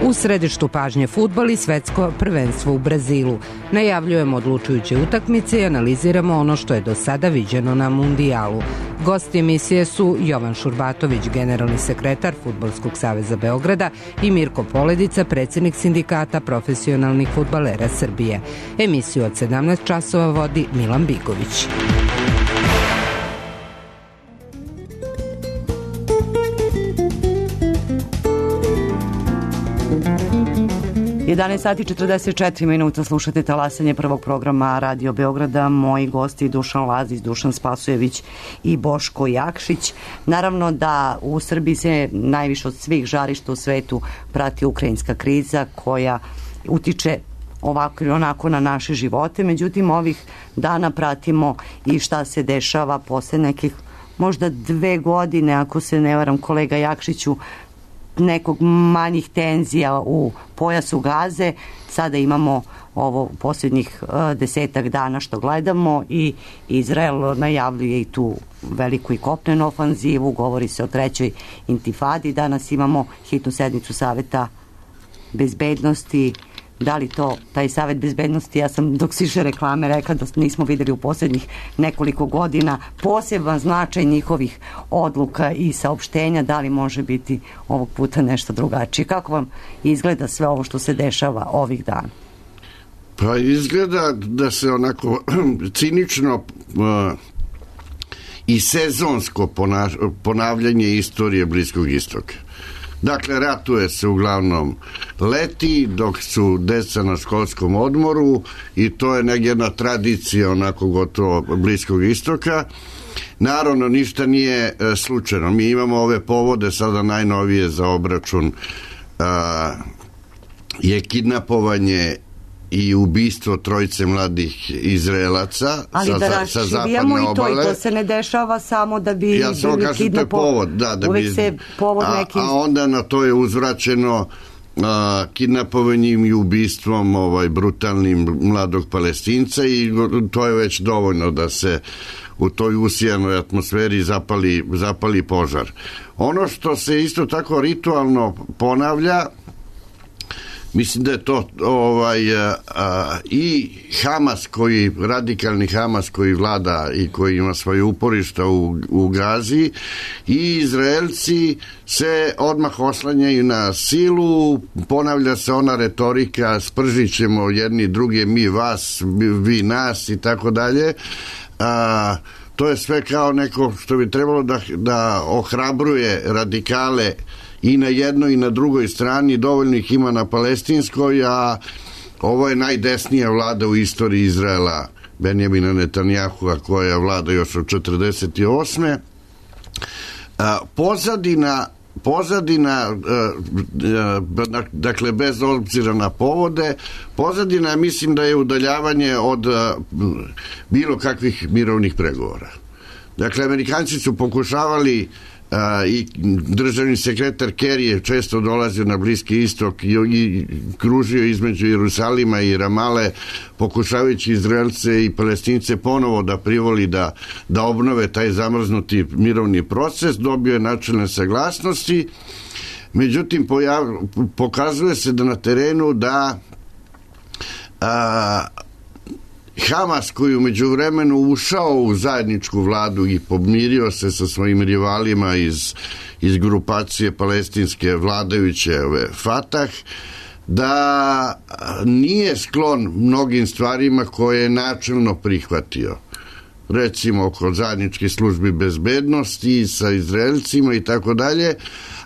U središtu pažnje fudbal i svetsko prvenstvo u Brazilu. Najavljujemo odlučujuće utakmice i analiziramo ono što je do sada viđeno na mundijalu. Gosti emisije su Jovan Šurbatović, generalni sekretar Fudbalskog saveza Beograda, i Mirko Poledica, predsjednik sindikata profesionalnih fudbalera Srbije. Emisiju od sedamnaest časova vodi Milan Bigović. jedanaest sati četrdeset četiri minuta, slušate talasanje prvog programa Radio Beograda. Moji gosti Dušan Lazić, Dušan Spasojević i Boško Jakšić. Naravno da u Srbiji se najviše od svih žarišta u svetu prati ukrajinska kriza koja utiče ovako ili onako na naše živote. Međutim, ovih dana pratimo i šta se dešava posle nekih možda dve godine, ako se ne varam, kolega Jakšiću, nekog manjih tenzija u pojasu Gaze. Sada imamo ovo posljednjih uh, desetak dana što gledamo i Izrael najavljuje i tu veliku i kopnenu ofanzivu, govori se o trećoj intifadi. Danas imamo hitnu sednicu Saveta bezbednosti. Da li to, taj Savet bezbednosti, ja sam dok siše reklame rekla da nismo videli u posljednjih nekoliko godina poseban značaj njihovih odluka i saopštenja, da li može biti ovog puta nešto drugačije? Kako vam izgleda sve ovo što se dešava ovih dana? Pa izgleda da se onako cinično uh, i sezonsko ponaš- ponavljanje istorije Bliskog istoka. Dakle, ratuje se uglavnom leti, dok su deca na školskom odmoru, i to je neka jedna tradicija onako gotovo Bliskog istoka. Naravno, ništa nije e, slučajno. Mi imamo ove povode sada najnovije za obračun, a, je kidnapovanje i ubistvo trojice mladih Izraelaca. Ali sa, da sa zapadne i to, obale. I to se ne dešava samo da bi ja samo kažem, to je povod, da, da uvek bi, se povod a, neki... a onda na to je uzvraćeno a, kidnapovanjem i ubistvom ovaj, brutalnim mladog Palestinca, i to je već dovoljno da se u toj usijanoj atmosferi zapali, zapali požar. Ono što se isto tako ritualno ponavlja, mislim da je to ovaj, a, a, i Hamas, koji, radikalni Hamas koji vlada i koji ima svoje uporišta u, u Gazi, i Izraelci se odmah oslanjaju na silu, ponavlja se ona retorika, spržit ćemo jedni druge, mi vas, vi nas i tako dalje. A, to je sve kao neko što bi trebalo da, da ohrabruje radikale i na jednoj i na drugoj strani. Dovoljno ih ima na palestinskoj, a ovo je najdesnija vlada u istoriji Izraela, Benjamina Netanjahua, koja vlada još od četrdeset osme. A, pozadina pozadina, dakle bez obzira na povode, pozadina mislim da je udaljavanje od bilo kakvih mirovnih pregovora. Dakle, Amerikanci su pokušavali, i državni sekretar Kerry je često dolazio na Bliski istok i, i kružio između Jerusalima i Ramale, pokušavajući Izraelce i Palestince ponovo da privoli da, da obnove taj zamrznuti mirovni proces. Dobio je načelne saglasnosti, međutim pojav, pokazuje se da na terenu da a, Hamas, koji u međuvremenu ušao u zajedničku vladu i pomirio se sa svojim rivalima iz, iz grupacije palestinske vladajuće Fatah, da nije sklon mnogim stvarima koje je načelno prihvatio. Recimo oko zajedničkih službi bezbednosti sa Izraelcima i tako dalje,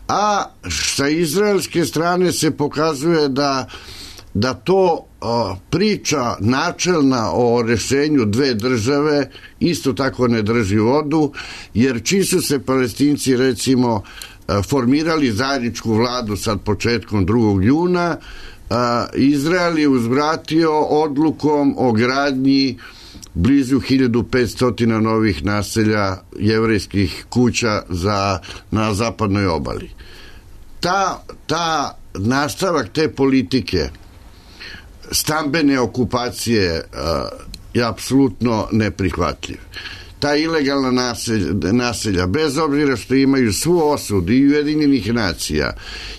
a sa izraelske strane se pokazuje da da to a, priča načelna o rešenju dve države isto tako ne drži vodu, jer čim su se Palestinci recimo a, formirali zajedničku vladu sad početkom drugog juna, a, Izrael je uzvratio odlukom o gradnji blizu hiljadu petsto novih naselja jevrejskih kuća za, na zapadnoj obali. Ta, ta nastavak te politike stambene okupacije uh, je apsolutno neprihvatljiv. Ta ilegalna naselja, naselja, bez obzira što imaju svu osudu i Ujedinjenih nacija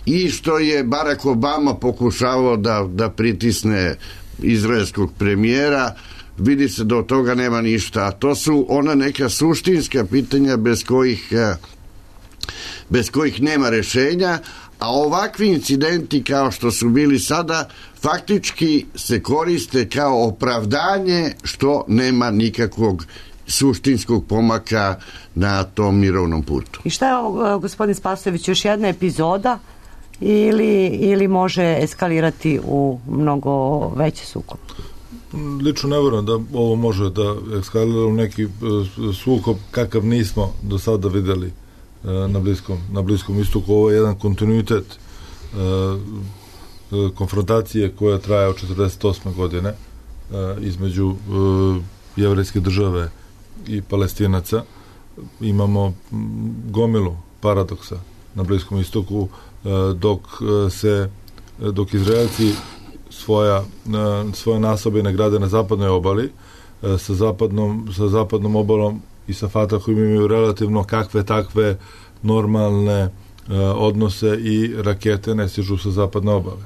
i što je Barack Obama pokušavao da, da pritisne izraelskog premijera, vidi se da od toga nema ništa. To su ona neka suštinska pitanja bez kojih, bez kojih nema rešenja, a ovakvi incidenti kao što su bili sada faktički se koriste kao opravdanje što nema nikakvog suštinskog pomaka na tom mirovnom putu. I šta je ovo, gospodin Spasojević, još jedna epizoda ili, ili može eskalirati u mnogo veći sukob? Lično ne vjerujem da ovo može da eskalira u neki sukob kakav nismo do sada videli na Bliskom, na Bliskom istoku. Ovo je jedan kontinuitet konfrontacije koja traje od četrdeset osme godine između jevrejske države i Palestinaca. Imamo gomilu paradoksa na Bliskom istoku, dok se dok Izraelci svoja, svoje nasobine grade na zapadnoj obali, sa zapadnom, sa zapadnom obalom i sa Fatahom imaju relativno kakve takve normalne odnose i rakete ne stižu sa zapadne obale.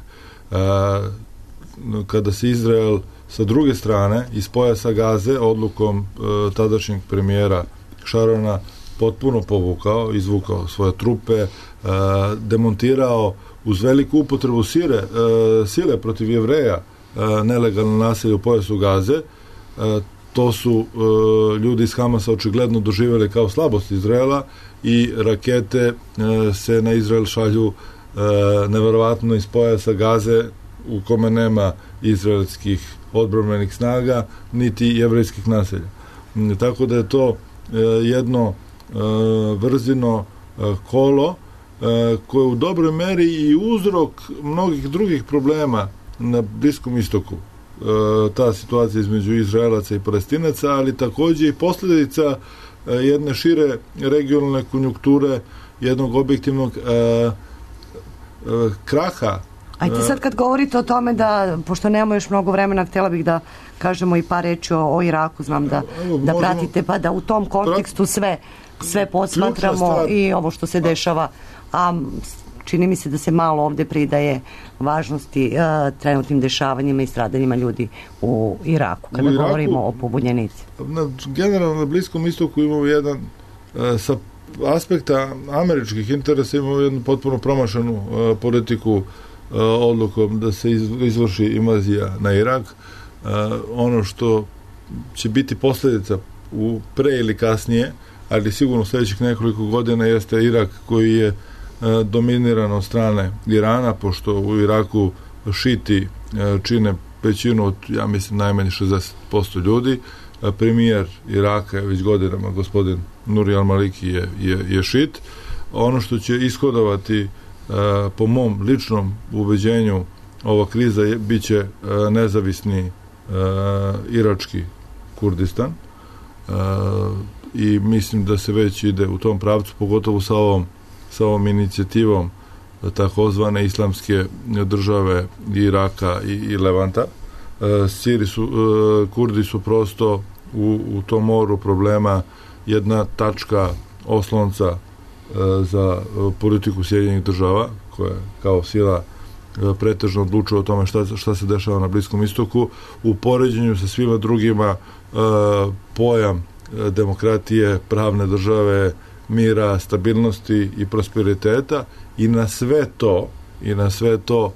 Kada se Izrael sa druge strane iz pojasa Gaze odlukom tadašnjeg premijera Šarona potpuno povukao, izvukao svoje trupe, demontirao uz veliku upotrebu sile, sile protiv Jevreja nelegalno naselje u pojasu Gaze, to su ljudi iz Hamasa očigledno doživjeli kao slabost Izraela i rakete se na Izrael šalju neverovatno iz pojasa Gaze u kome nema izraelskih odbrambenih snaga niti jevrejskih naselja. Tako da je to jedno vrzino kolo koje u dobroj meri i uzrok mnogih drugih problema na Bliskom istoku. Ta situacija između Izraelaca i Palestinaca, ali takođe i posljedica jedne šire regionalne konjunkture, jednog objektivnog kraha. Ajte sad kad govorite o tome da, pošto nemamo još mnogo vremena, htjela bih da kažemo i par reči o, o Iraku, znam da, da pratite, pa da u tom kontekstu sve, sve posmatramo i ovo što se dešava, a čini mi se da se malo ovde pridaje važnosti uh, trenutnim dešavanjima i stradanjima ljudi u Iraku, kada u Iraku, govorimo o pobunjenici. Na, generalno na Bliskom istoku imamo jedan uh, sa aspekta američkih interesa imamo jednu potpuno promašanu uh, politiku uh, odlukom da se izvrši invazija na Irak. Uh, ono što će biti posljedica u pre ili kasnije, ali sigurno u sljedećih nekoliko godina jeste Irak koji je uh, dominiran od strane Irana, pošto u Iraku šiti uh, čine većinu od, ja mislim, najmanje šezdeset posto ljudi. Uh, premijer Iraka je već godinama, gospodin Nuri al-Maliki je, je, je šit. Ono što će ishodovati uh, po mom ličnom ubeđenju ova kriza je, bit će uh, nezavisni uh, irački Kurdistan uh, i mislim da se već ide u tom pravcu, pogotovo sa ovom, sa ovom inicijativom takozvane islamske države Iraka i, i Levanta. Uh, Siri su, uh, Kurdi su prosto u, u tom moru problema jedna tačka oslonca uh, za uh, politiku Sjedinjenih država, koja kao sila uh, pretežno odlučuje o tome šta, šta se dešava na Bliskom istoku. U poređenju sa svima drugima uh, pojam uh, demokratije, pravne države, mira, stabilnosti i prosperiteta, i na sve to i na sve to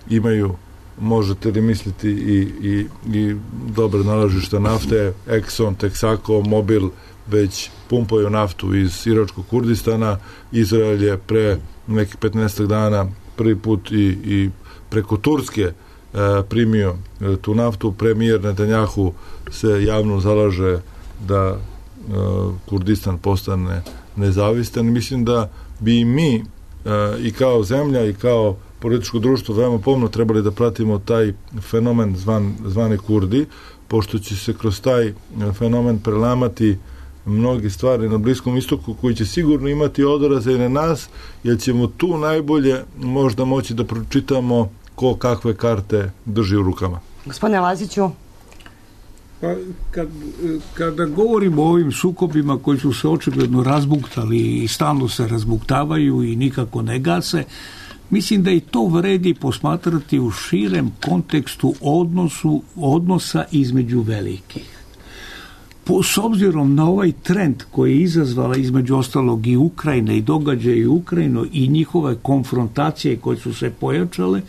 imaju, možete li misliti, i, i, i dobre nalažišta nafte. Exxon, Texaco, Mobil već pumpaju naftu iz iračkog Kurdistana. Izrael je pre nekih petnaest dana prvi put i, i preko Turske primio tu naftu. Premijer Netanjahu se javno zalaže da Kurdistan postane nezavistan. Mislim da bi i mi i kao zemlja i kao političko društvo veoma pomno trebali da pratimo taj fenomen zvan, zvane Kurdi, pošto će se kroz taj fenomen prelamati mnogi stvari na Bliskom istoku koji će sigurno imati odraze i na nas, jer ćemo tu najbolje možda moći da pročitamo ko kakve karte drži u rukama. Gospodine Laziću? Pa, kad, kada govorimo o ovim sukobima koji su se očigledno razbuktali i stalno se razbuktavaju i nikako ne gase, mislim da i to vredi posmatrati u širem kontekstu odnosu, odnosa između velikih. Po, s obzirom na ovaj trend koji je izazvala između ostalog i Ukrajine i događaje u Ukrajinu i njihove konfrontacije koje su se pojačale,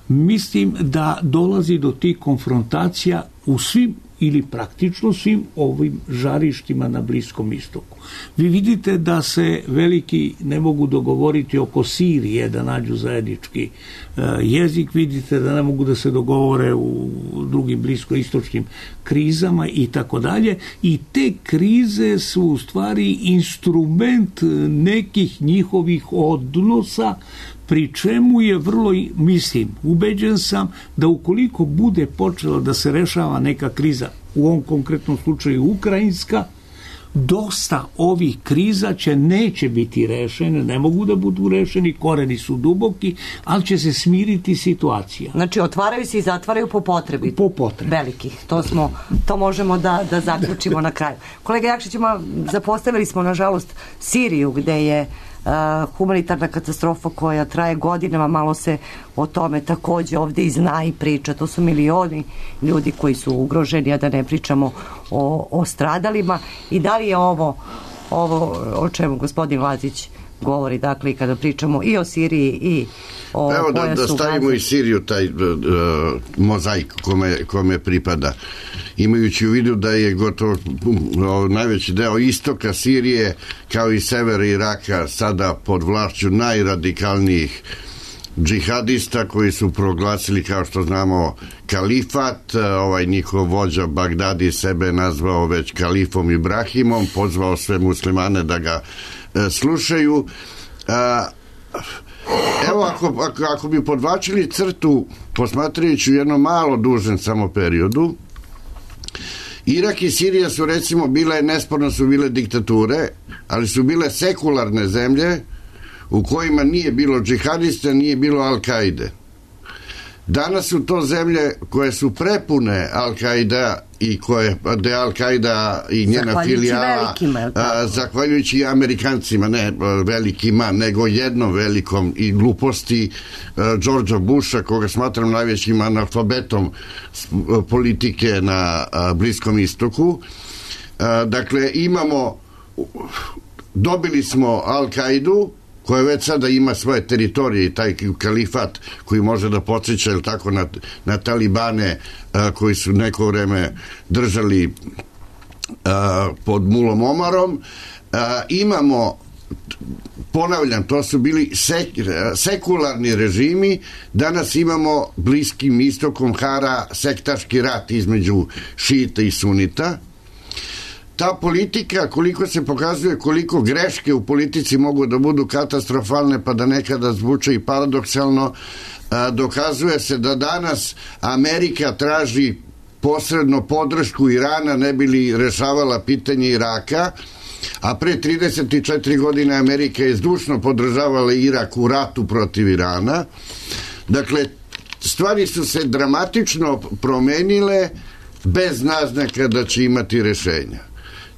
mislim da dolazi do tih konfrontacija u svim ili praktično svim ovim žarištima na Bliskom istoku. Vi vidite da se veliki ne mogu dogovoriti oko Sirije, da nađu zajednički uh, jezik, vidite da ne mogu da se dogovore u drugim bliskoistočnim krizama i tako dalje, i te krize su u stvari instrument nekih njihovih odnosa, pri čemu je vrlo, mislim, ubeđen sam da ukoliko bude počela da se rešava neka kriza, u ovom konkretnom slučaju ukrajinska, dosta ovih kriza će neće biti rešene, ne mogu da budu rešeni, koreni su duboki, ali će se smiriti situacija. Znači, otvaraju se i zatvaraju po potrebi. Po potrebi. Velikih. To smo, to možemo da, da zaključimo na kraju. Kolega Jakšić, zapostavili smo, nažalost, Siriju, gde je Uh, humanitarna katastrofa koja traje godinama, malo se o tome takođe ovde i zna i priča. To su milioni ljudi koji su ugroženi, a da ne pričamo o, o stradalima. I da li je ovo, ovo o čemu gospodin Lazić govori, dakle, kada pričamo i o Siriji i o Evo da, pojasu da stavimo Gaze. i Siriju taj uh, mozaik kome, kome pripada, imajući u vidu da je gotovo uh, najveći deo istoka Sirije kao i severa Iraka sada pod vlašću najradikalnijih džihadista koji su proglasili, kao što znamo, kalifat. Ovaj njihov vođa Bagdadi sebe nazvao već kalifom Ibrahimom, pozvao sve muslimane da ga e, slušaju. A, evo, ako, ako, ako bi podvačili crtu, posmatrajući u jednom malo dužem samo periodu, Irak i Sirija su, recimo, bile, nesporno su bile diktature, ali su bile sekularne zemlje u kojima nije bilo džihadista, nije bilo Al-Kaide. Danas su to zemlje koje su prepune Al-Kaida i koje, de Al-Kaida i njena filijala, a, zahvaljujući Amerikancima, ne velikima, nego jednom velikom i gluposti a, Georgea Busha, koga smatram najvećim analfabetom politike na a, Bliskom istoku. A, dakle, imamo, dobili smo Al-Kaidu, koja već sada ima svoje teritorije i taj kalifat koji može da podsjeća, ili tako, na, na talibane a, koji su neko vreme držali a, pod Mulom Omarom. A, imamo, ponavljam, to su bili sek, sekularni režimi. Danas imamo Bliskim istokom hara sektaški rat između šita i sunita. Ta politika, koliko se pokazuje, koliko greške u politici mogu da budu katastrofalne, pa da nekada zvuče i paradoksalno, dokazuje se da danas Amerika traži posredno podršku Irana ne bi li rešavala pitanje Iraka, a pre trideset četiri godine Amerika je zdušno podržavala Irak u ratu protiv Irana. Dakle, stvari su se dramatično promenile bez naznaka da će imati rešenja.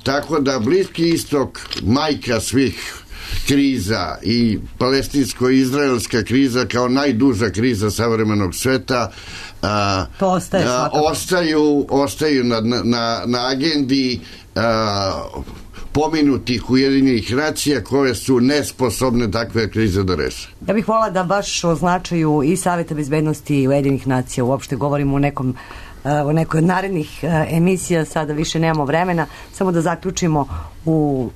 Tako da Bliski istok, majka svih kriza, i palestinsko-izraelska kriza kao najduža kriza savremenog sveta, a, ostaje a, ostaju, ostaju na, na, na agendi a, pominutih Ujedinjenih nacija koje su nesposobne takve krize da reše. Ja bih volila da baš o značaju i Saveta bezbednosti i Ujedinjenih nacija uopšte govorimo u nekom u nekoj od narednih emisija, sada više nemamo vremena, samo da zaključimo u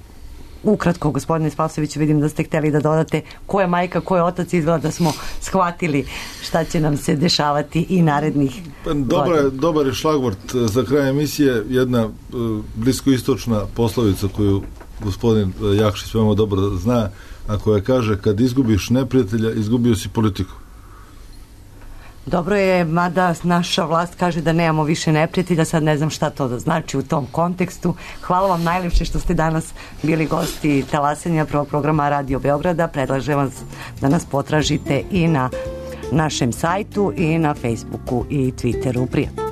ukratko, gospodine Spasoviću, vidim da ste hteli da dodate ko je majka, ko je otac, izgleda da smo shvatili šta će nam se dešavati i narednih Dobar je, dobar je šlagvort za kraj emisije, jedna uh, bliskoistočna poslovica koju gospodin Jakšić veoma dobro zna, a koja kaže kad izgubiš neprijatelja, izgubio si politiku. Dobro je, mada naša vlast kaže da nemamo više neprijatelja, sad ne znam šta to da znači u tom kontekstu. Hvala vam najlepše što ste danas bili gosti talasanja prvog programa Radio Beograda. Predlažem vas da nas potražite i na našem sajtu i na Facebooku i Twitteru. Prijatno.